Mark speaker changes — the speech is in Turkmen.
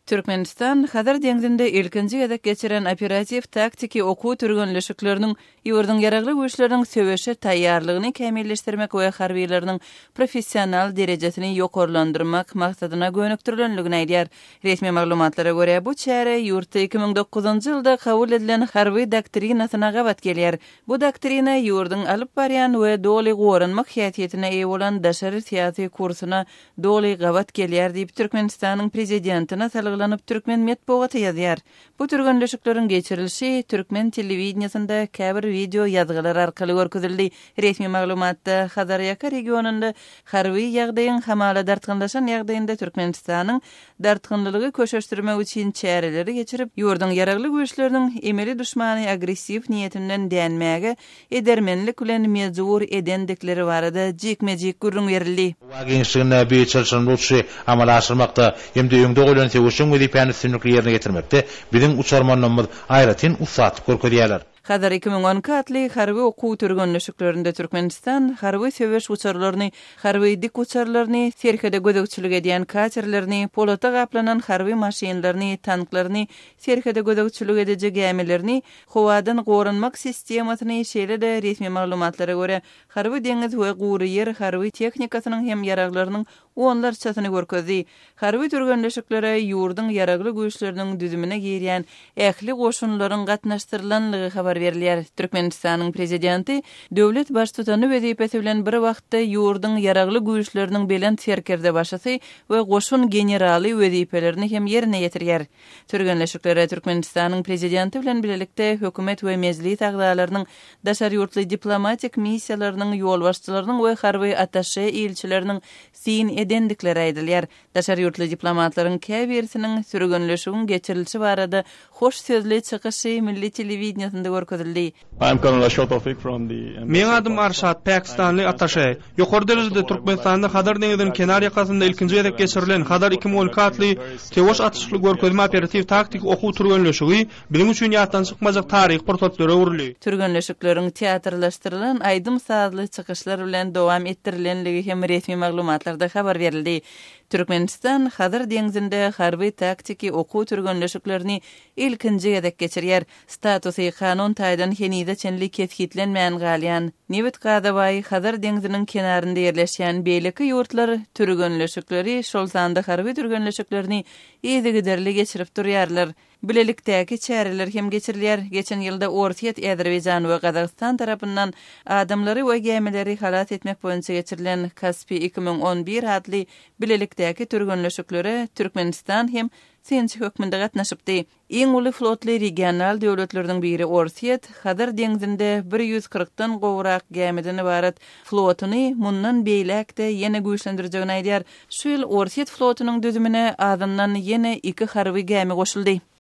Speaker 1: Türkmenistan Hazar deňzinde ilkinji gezek geçiren operatiw-taktiki okuw türgenleşikleriniň ýurduň Ýaragly Güýçleriniň söweşe taýýarlygyny kämilleşdirmek we harbylarynyň professional derejesini ýokarlandyrmak maksadyna gönükdirilendigini aýdýar. Resmi maglumatlara görä, bu çäre ýurtda 2009-njy ýylda kabul edilen harby doktrinasyna gabat gelýär. Bu doktrina ýurduň alyp barýan we doly goranmak häsiýetine eýe bolan daşary syýasy kursuna doly gabat gelýär diýip, Türkmenistanyň Prezidentine salgylanyp türkmen metbugaty ýazýar. Bu türgenleşikleriň geçirilişi türkmen telewideniýesinde käbir wideo ýazgylar arkaly görkezildi. Resmi maglumatda Hazarýaka regionynda harby ýagdaýyň hamala dartgynlaşan ýagdaýynda Türkmenistanyň dartgynlylygy köşeşdirmek üçin çäreleri geçirip, ýurduň Ýaragly Güýçleriniň emeli duşmany agressiw niýetinden dänmäge edermenlik bilen mejbur edendikleri barada jikme-jik gürrüň berildi.
Speaker 2: Howa giňişliginde bu çylşyrymly uçuşy amala aşyrmakda hem-de öňde goýlan söweşjeň wezipäni üstünlikli ýerine ýetirmekde biziň uçarmanlarymyz aýratyn ussatlyk görkezýärler.
Speaker 1: Hazar 2012 atly harby okuw türgenleşiklerinde Türkmenistan harby söweş uçarlaryny, harby dik uçarlaryny, serhede gözegçilik edýän katerlerini, polata gaplanan harby maşynlaryny, tanklaryny, serhede gözegçilik ediji gämilerini, howadan goranmak sistemasyny, şeýle-de resmi maglumatlara görä, harby deňiz we gury ýer harby tehnikasynyň hem ýaraglarynyň onlarçasyny görkezdi. Harby türgenleşiklere ýurduň Ýaragly Güýçleriniň düzümine girýän ähli goşunlaryň gatnaşdyrylanlygy habar berilýär. Türkmenistanyň Prezidenti döwlet Baştutany wezipesi bilen bir wagtda ýurduň Ýaragly Güýçleriniň Belent Serkerdebaşysy we goşun generaly wezipelerini hem ýerine ýetirýär. Türgenleşiklere Türkmenistanyň Prezidenti bilen bilelikde Hökümet we Mejlis agzalarynyň, daşary ýurtly diplomatik missiýalarynyň ýolbaşçylarynyň we harby attaşe ilçileriniň syn edendikleri aýdylýar. Daşary ýurtly diplomatlaryň käbirisiniň türgenleşigiň geçirilişi barada hoş sözli çykyşy milli telewideniýesinde görkezildi.
Speaker 3: Meň adym Arşad, pakistanly attaşe. Ýokary derejede Türkmenistanda Hazar deňziniň kenar ýakasynda ilkinji gezek geçirilen Hazar 2012 atly söweş atyşykly görkezme operatiw-taktiki okuw türgenleşigi biziň üçin ýatdan çykmajak taryhy pursatlara öwrüldi.
Speaker 1: Türgenleşikleriň teatrlaşdyrylan aýdym-sazly çykyşlar bilen dowam etdirilenligi hem resmi maglumatlarda habar berildi. Türkmenistan Hazar deňzinde harby-taktiki okuw türgenleşiklerini ilkinji gezek geçirýär. Statusy kanun taýdan henize çenli kesgitlenmän galýan, nebit-gaza baý Hazar deňziniň kenarynda ýerleşýän beýleki ýurtlar türgenleşikleri, şol sanda harby türgenleşiklerini yzygiderli geçirip durýarlar. Bilelikdäki çäreler hem geçirilýär. Geçen ýylda Orsýet, Azerbaýjan we Gazagystan tarapyndan adamlary we gämileri halas etmek boýunça geçirilen Kaspi 2011 atly bilelikdäki türgenleşiklere Türkmenistan hem synçy hökmünde gatnaşypdy. Iň uly flotly regional döwletleriniň biri Orsýet, Hazar deňzinde 140-dan gowrak gämiden ybarat flotuny mundan beýläk-de ýene güýçlendirjegini aýdýar. Şu ýyl Orsýet flotunyň düzümine azyndan ýene iki harby gämi goşuldy.